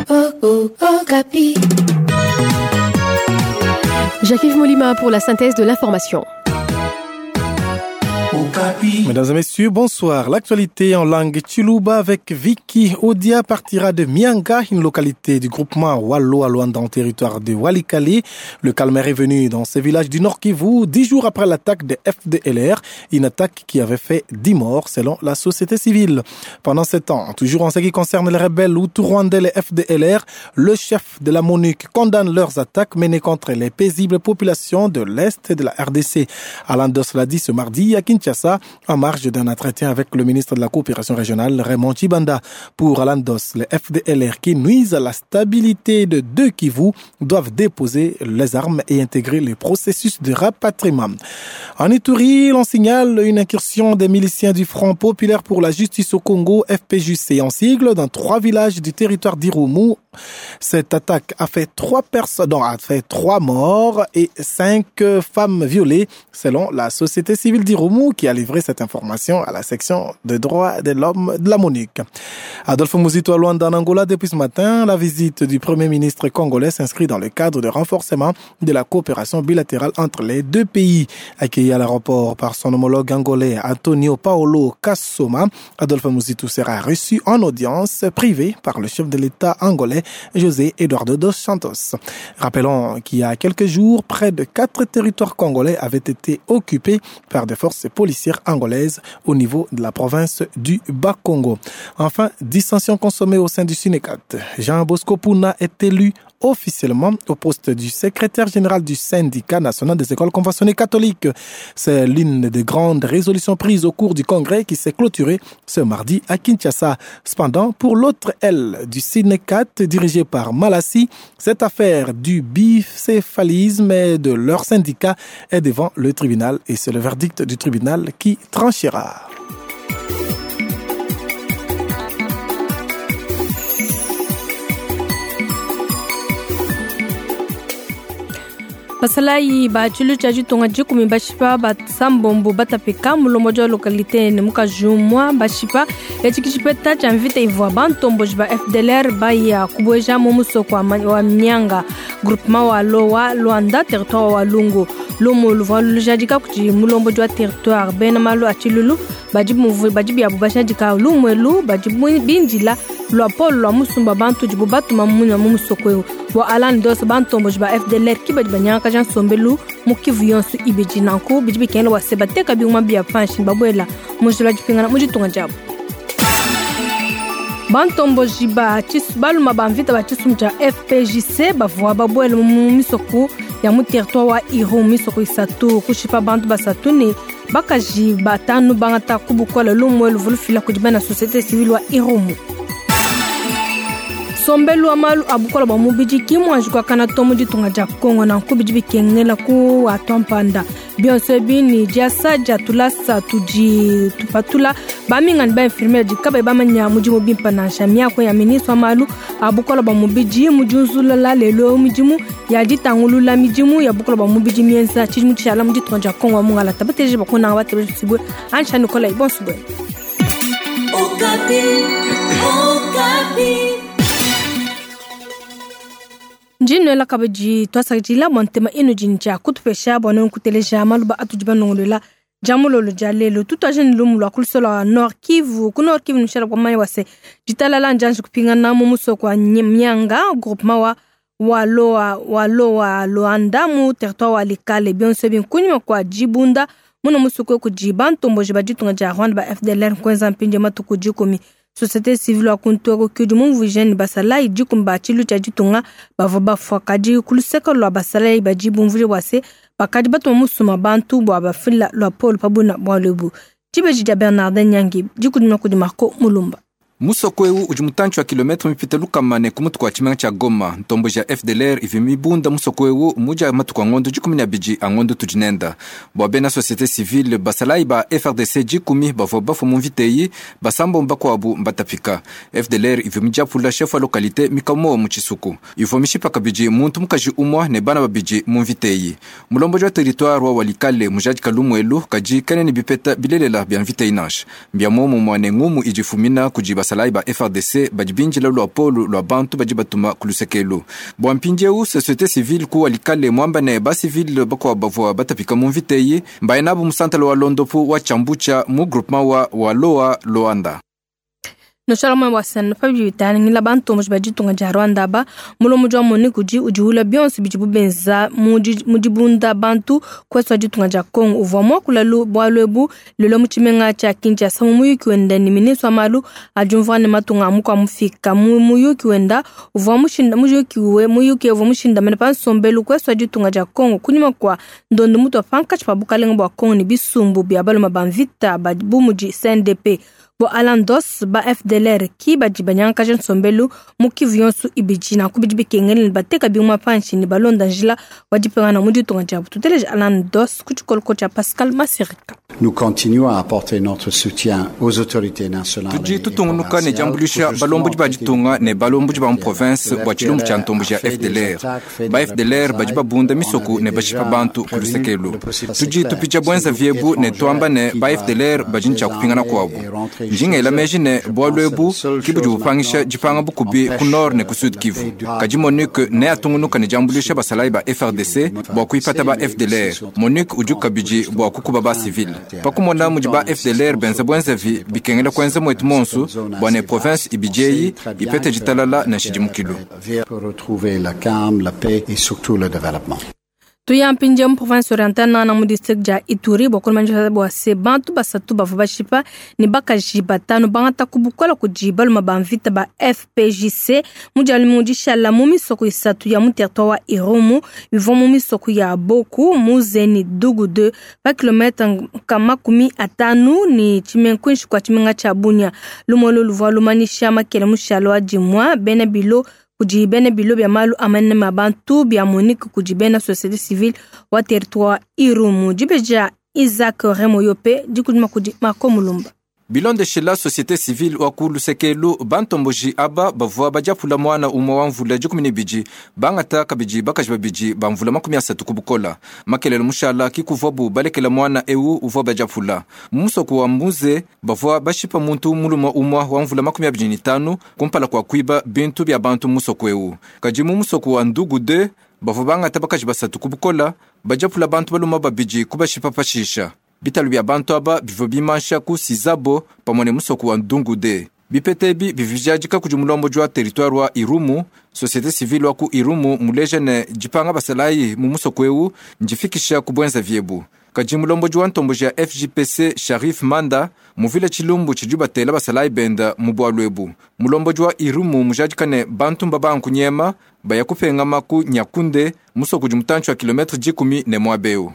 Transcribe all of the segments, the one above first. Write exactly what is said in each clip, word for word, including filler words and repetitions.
Okapi. Jacques-Yves Molima pour la synthèse de l'information. Mesdames et messieurs, bonsoir. L'actualité en langue Chiluba avec Vicky Odia partira de Mianga, une localité du groupement Wallo à Luanda en territoire de Walikale. Le calme est revenu dans ce village du Nord Kivu dix jours après l'attaque des F D L R, une attaque qui avait fait dix morts selon la société civile. Pendant ce temps, toujours en ce qui concerne les rebelles Hutus rwandais, les F D L R, le chef de la MONUC condamne leurs attaques menées contre les paisibles populations de l'Est de la R D C. Alain Doss l'a dit ce mardi à Kinshasa, en marge d'un entretien avec le ministre de la Coopération régionale, Raymond Tshibanda. Pour Alain Doss, les F D L R qui nuisent à la stabilité de deux Kivu doivent déposer les armes et intégrer le processus de rapatriement. En Ituri, l'on signale une incursion des miliciens du Front populaire pour la justice au Congo, F P J C en sigle, dans trois villages du territoire d'Irumu. Cette attaque a fait trois personnes, non, a fait trois morts et cinq femmes violées, selon la société civile d'Irumu qui a livré cette information à la section de droits de l'homme de la MONUC. Adolphe Muzito à Luanda en Angola depuis ce matin, la visite du Premier ministre congolais s'inscrit dans le cadre de renforcement de la coopération bilatérale entre les deux pays. Accueilli à l'aéroport par son homologue angolais Antonio Paolo Kassoma, Adolphe Muzito sera reçu en audience privée par le chef de l'État angolais José Eduardo dos Santos. Rappelons qu'il y a quelques jours, près de quatre territoires congolais avaient été occupés par des forces policières angolaises au niveau de la province du Bas-Congo. Enfin, dissension consommée au sein du Synecat. Jean Bosco Puna est élu officiellement au poste du secrétaire général du syndicat national des écoles conventionnées catholiques. C'est l'une des grandes résolutions prises au cours du congrès qui s'est clôturé ce mardi à Kinshasa. Cependant, pour l'autre aile du Synecat dirigée par Malassi, cette affaire du bicéphalisme et de leur syndicat est devant le tribunal et c'est le verdict du tribunal qui tranchera. Basalayi ba tshilu tshia ditunga dikumi bashipa basambombo batapika mulomo dia localité ne mukajumwa bashipa etshi tshipeta tshia mvita ivua bantomboji ba F D L R baya kubueja mu musoko wa Mianga groupement wa Lowa Luanda territoire wa Lungu lumu luvua lujadika kuti mulombo dia territoire bena malu a tshilulu badi muvu badi biabu bashadika lumwelu badi bindila lwa polo lwa musumba bantu dibu batuma munya mu musoko eu wa Alan Doss bantomboji ba F D L R ki badi banyanga Jean Sombelu mukivu yonso ibidi nanku bidi bikengela wa sebateka biuma bia panshi babuela mujula dipingana muditunga diabu bantomboji ba chisu baluma ba mvita ba tshisumbu tshia F P J C bavua babuela mu misoko ya mu territoire wa Irumu misoko isatu kushipa bantu basatu ne bakaji batanu bangata kubukola lumwe luvulufila kudi bana société civile wa Irumu. Sombelu wa malu abukola ba mubidi kimwa jukwa kana tomu ditunga dia Kongo na nkubidi bikengela ku atompanda bionso bini diasa dia tulasa tudi tupatula baminga ba infirmière dikaba bamanya mudimu bimpa na shamia ko ya ministre wa malu abukola ba mubidi mujunzula la lelo mudimu ya ditangulula midimu ya bukola ba mubidi mienza tshidimu tshala muditunga dia Kongo mungala tabateje bakona bateje sibwe ansha Nicolas bonsoir. Okapi, Okapi. Njino la kabaji twasakila montema ino jinja kutupesha bono nkuteleja maluba atujiba nongolela jamulolo jalelo tutwa jeni lumu lwa kulusola Nord Kivu ku Nord Kivu nshara kwa manya wase jitalala njanji kupingana mu musoko wa Mianga groupement wa waloa waloa Luanda mu territoire wa Likale bionso binkunyuma kwa jibunda muno musoko kujiba ntomboji bajitunga ja Rwanda ba F D L R kwenza mpinje matuku jikumi société civile wa kuntweko kudi mumvu jeune basalai jikumba tshilu tshia ditunga bavua bafua kadi kuluseka lua basalai badi bumvuje bua se bakadi batuma musuma bantu bua bafila lua polo pabuna bua lebu dibeji dia Bernardin Nyangi dikudima kudi Marco Mulumba. Musoko eu udi mutantshi wa kilometre mipite lukamane ku mutu kua tshimenga tshia Goma ntombo ja F D L R ivi mibunda musoko eu mudia matuku a ngondo dikumi na abidi a ngondo tudi nenda bua bena société civile basalai ba F R D C dikumi bavua bafua mu mvita eyi basambomba kuabu mbatapika F D L R ivi midiapula chef wa localité mikamowa mu tshisuku ivua mishipa kabidi muntu mukaji umua ne bana babidi mu mvita eyi mulomboji wa territoire wa Walikale mujadika lumuelu kadi kene ne bipeta bilelela bia mvita eyi nansha mbia momumua ne ngumu idi fumina kudi basalayi basalayi ba F R D C badi binjila lwa polu lwa bantu badi batuma ku lusekelu. Bua mpindieu société civile ku Walikale mwamba ne ba civile bakwa bavua batapika mu mvita eyi mbaye nabu musantala wa Londopu wa Chambucha mu groupement wa Waloa Luanda. Noshala mwe wasana pa bitani ngila bantu mo baditunga ja Rwanda ba mulomo jwa moni kuji ujiula bionso bijibu benza mu dibunda bantu kweswa ditunga ja Congo uvwa mwa kulalu bwalwebu lelo mu tshimenga tsha Kinshasa mu muyuki wenda ni ministre wa malu ajumva ne matunga amukwa mufika mu muyuki wenda uvwa mushinda muyuki we muyuki uvwa mushinda mene pa nsombelu kweswa ditunga ja Congo kunyuma kwa ndondo mutu apanka pa bukalenga bwa Congo ni bisumbu bya baloma bamvita ba bumuji C N D P bo Alandos ba F D L R ki badi banyanga nsombelu mu Kivu yonso ibiji na kubidi bikengele bateka bimwa panshi ni balonda njila wadipengana mu ditunga dia tuteleje Alandos ku tshikoloko tshia Pascal Masirika. Nous continuons à apporter notre soutien aux autorités nationales. Tudi tutungunuka ne diambulisha balomboji ba ditunga ne balomboji ba mu province bua tshilumbu tshia ntombo tshia F D L R. Ba F D L R badi babunda misoko ne bashipa bantu ku lusekelu. Tudi tupitsha bwenza viebu ne tuamba ne ba F D L R badi ntshia kupingana kuabu. Njinga meji ne bwalwebu kibudi bupangisha dipanga bukubi ku nord ne ku sud Kivu. Kadi MONUC ne atungunuka ne diambulisha basalayi ba F R D C bua kuipata ba F D L R. MONUC udi kabidi bua kukuba ba civil. Pakumona mudi ba F D L R benza bwenzavi bikengela kwenza mwetu monsu bua ne province ibijeyi ipete ditalala na nshidimukilu. Pour retrouver la calme, la paix et surtout le développement. Tuya mpinje mu province orientale na mu district ja Ituri bokolo manja bwa se bantu basatu bavua bashipa ni bakaji batano bangata kubukola kudi baluma ba mvita ba F P J C mujali mu dishala mu misoko isatu ya mu territoire wa Irumu bivua mu misoko ya Boku Muzeni Dugu deux pa kilomètre kama kumi atanu ni chimenkunshi kwa chimenga cha Bunia lumolo luvua lumanisha makele mushalo wa dimwa bena bilo kudi bena bilo bya malu amanene ma bantu bya Monique kudi bena société civile wa territoire Irumu dibeja Isaac Remoyope dikudima kudi Marco Mulumba. Bilondeshela société civile wa ku lusekelu bantomboji aba bavua badiapula mwana umwe wa mvula dikumi ne bidi bangata kabidi bakaji babidi ba mvula makumi asatu ku bukola makelelo mushala kikuvuabu balekela mwana ewu uvua badiapula mu musoko wa Mbuze bavua bashipa muntu mulume umwe wa mvula makumi abidi ne tanu kumpala kua kuiba bintu bia bantu mu musoko ewu kadi mu musoko wa Ndugu deux bavua bangata bakaji basatu ku bukola badiapula bantu baluma babidi kubashipa pashisha. Bitalu bya bantu aba bivua bimansha ku Sizabo pamwe ne musoko wa Ndungude. Bipete ebi bivijadika kudi mulomboji wa territoire wa Irumu, société civile wa ku Irumu muleja ne dipanga basalayi mu musoko ewu ndifikisha ku bwenza viebu. Kadi mulomboji wa ntomboji ya F J P C Sharif Manda muvile tshilumbu tshidi batela basalayi benda mu bwalu ebu. Mulomboji wa Irumu mujadika ne bantu mbabankunyema baya kupengama ku Nyakunde musoko udi mutantshi wa kilometre dikumi ne mwabeu.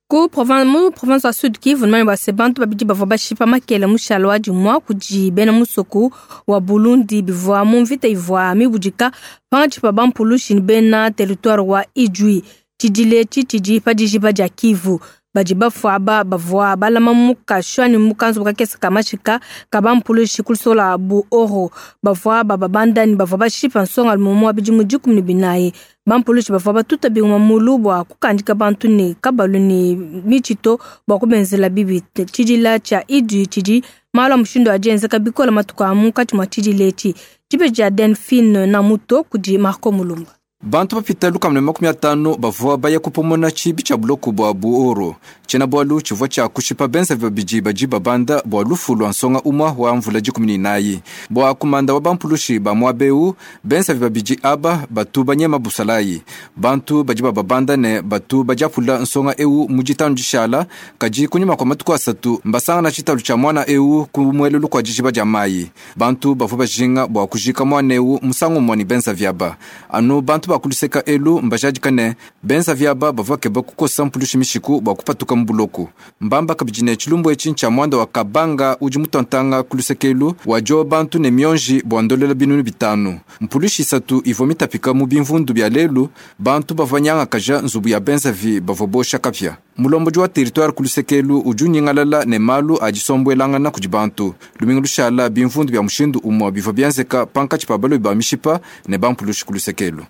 Ku province mu province wa Sud Kivu nmani ba sebantu babidi bavua bashipa makele mushalo wa dimwa kudi bena musoko wa Burundi bivua mu mvita ivua mibudika pangatshi pa bampulushi ni bena territoire wa Ijwi tshidile tshitshidi pa dijiba dia Kivu badi bafua aba bavua balama mukashwa ni mukanzu kakesa kamashika kabampulushi kulisola bu oro bavua bababandani bavua bashipa nsonga lumomo wa bidimu dikumi ne binayi. Bampulushi bavua batuta bingwa mulu bua kukandika bantu ne kabalu ne michito bua kubenzela bibi tshidila tshia Ijwi tshidi malu a mushindu adienzeka bikola matuku a munkatshi mua tshidila etshi dibe dia Delphine Namuto kudi Marco Mulumba. Bantu bapita lukama ne makumi atanu bavua baya kupomona tshibi tshia buloko bua Buoro. Tshiena bualu tshivua tshia kushipa benza babidi badi babanda bua lufu lua nsonga umwa wa mvula dikumi ne inayi. Bua kumanda wa bampulushi ba muabeu benza babidi aba batu banyema busalayi. Bantu badi bababanda ne batu badiapula nsonga ewu mu ditanu dishala kadi kunyima kua matuku asatu mbasangana tshitalu tshia mwana ewu ku muelelu kua dijiba dia mayi. Bantu bavua bajinga bua kujika mwana ewu musangu umue ne benza viaba. Anu bantu ba kuluseka elu mbajadika ne benza viaba bavua keba kukosa mpulushi mishiku bua kupatuka mu buloko. Mbamba kabidi ne tshilumbu etshi ntshia mwanda wa Kabanga udi mutontanga kuluseka elu wadio bantu ne mionji bua ndolela binunu bitanu. Mpulushi isatu ivua mitapika mu bimvundu bia lelu bantu bavua nyangakaja nzubu ya benza vi bavua bosha kapia. Mulomboji wa territoire kuluseka elu udi unyingalala ne malu adisombwelangana kudi bantu. Lumingu lushala bimvundu bia mushindu umue bivua bienzeka pankatshi pa balobi ba mishipa ne bampulushi kuluseka elu.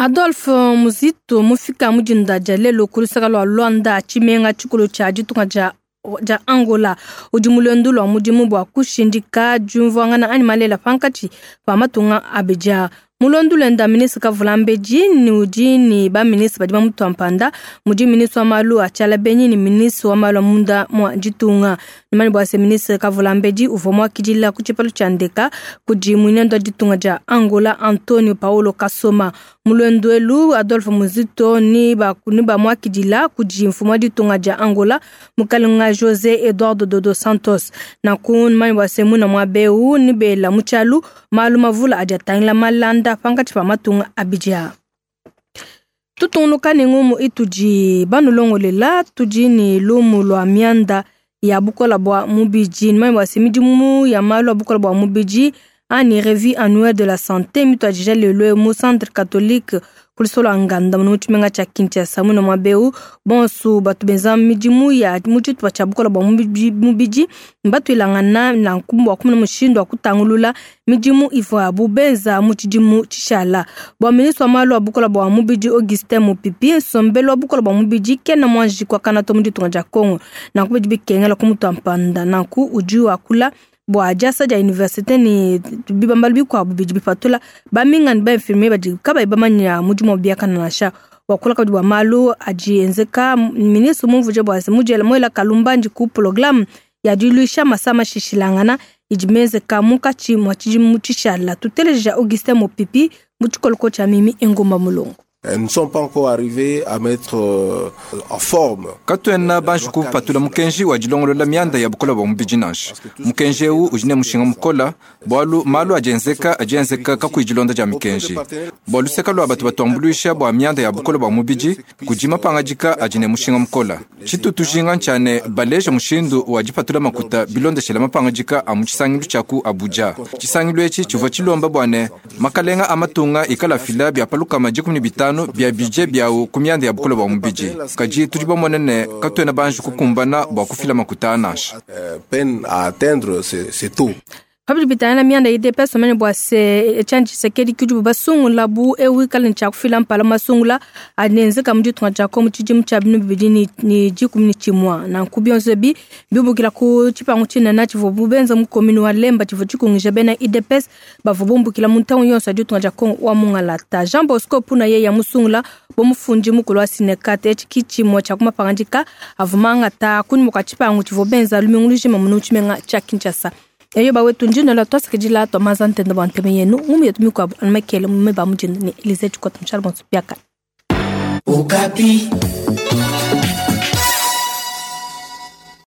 Adolphe Muzito mufika mujinda dia lelo kulusaka lua Luanda tshimenga tshikulu tshia ditunga dia dia Angola. Udi mu luendu lua mudimu bua kushindika diumvuangana anyi malela pankatshi pa matunga abidi. Mu luendu luenda ministre Kavulambedi ni udi ni ba ministre badi bamutua mpanda, mudi ministre wa malu a tshiala benyi ni ministre wa malu a munda mua ditunga. Nimani bua se ministre Kavulambedi uvua muakidila ku tshipalu tshia ndeka kudi muinendo wa ditunga dia Angola Antonio Paulo Kasoma. Mu luendu elu Adolphe Muzito ni ba ni bamuakidila kudi mfumu wa ditunga dia Angola mukalenga José Eduardo Dodo Santos. Nanku nimani bua se muna mua beu ni bela mu tshialu malu mavula adi atangila malanda pankatshi pa matunga abidi. Tutungunuka ne ngumu itudi banulongolela tudi ni lumu lua mianda ya bukola bua mubidi. Nimani bua se midimu ya malu a bukola bua mubidi ani revue annuelle de la santé mituadija lelo mu centre catholique kulisolo nganda mu tshimenga tshia Kinshasa. Muna mua beu bonsu batu benza midimu ya mu tshitupa tshia bukola bua mubidi mbatuilangana nanku bua kumona mushindu wa kutangulula midimu ivuabu benza mu tshidimu tshishala. Bua ministre wa malu a bukola bua mubidi Augustin Mupipi, nsombelu wa bukola bua mubidi kena muanji kuakana to mu ditunga dia Congo. Nanku bidi bikengela kumutua mpanda. Nanku udi wakula bua diasa dia université ni bibambalu bikuabu bidi bipatula bamingani ba infirmier badi kabayi bamanya mudimu wa biakana nansha. Wakula kabidi bua malu adi enzeka ministre mumvuje bua se mudiela muela kalumbandi ku programme ya diluisha masama shishilangana idi menzeka munkatshi mua tshidimu tshishala. Tuteleja Augustin Mupipi mu tshikoloko tshia Mimi Engumba Mulongo. Nous ne sommes pas encore arrivés à mettre euh, en forme. Katuena banji kupatula mukenji wa dilongolola mianda ya bukola bua mubidi nansha. Mukenji eu udi ne mushinga mukola bualu malu adi enzeka adi enzeka kakuyi dilonda dia mikenji. Bua luseka lua batu batuambuluisha bua mianda ya bukola bua mubidi kudi mapangadika adi ne mushinga mukola. Tshitu tujinga ntshiane baleja mushindu wa dipatula makuta bilondeshela mapangadika a mu tshisangilu tshia ku Abuja. Tshisangilu etshi tshivua tshilomba bua ne makalenga a matunga ikala fila bia palukama dikumi ne bitanu bia budget biawu ku mianda ya bukola bua mubidi. Kadi tudi bamone ne katuena banji kukumbana bua kufila makuta nansha. Peine à atteindre ce, ce taux. Pabidi bitangila mianda I D P S omene bua se Etienne Tshisekedi kudi basungula bu ewu ikala tshia kufila mpala masungula anenzeka mu ditunga dia Congo mu tshidimu tshia binu bibidi ni, ni dikumi ni tshimua. Nanku bionso bi bibukila ku tshipangu tshinene tshivua bubenza mu commune wa Lemba tshivua tshikungija bena I D P S bavua bumbukila mu ntangu yonso ya ditunga dia Congo wa Mungalata. Jean Bosco Puna ye ya musungula bomufundi mukulu wa Sinekate etshi ki tshimue tshia kumapangandika avua mangata kunyima kua tshipangu tshivua benza lumingu lujima munu tshimenga tshia Kinshasa. Eyo bawetu njino la twasikidila twamaza ntenda bua nteme yenu ngumu yetu mikuabu anumakele mume ba mujinda ni Elise Tshikota mshala bonso biaka. Okapi.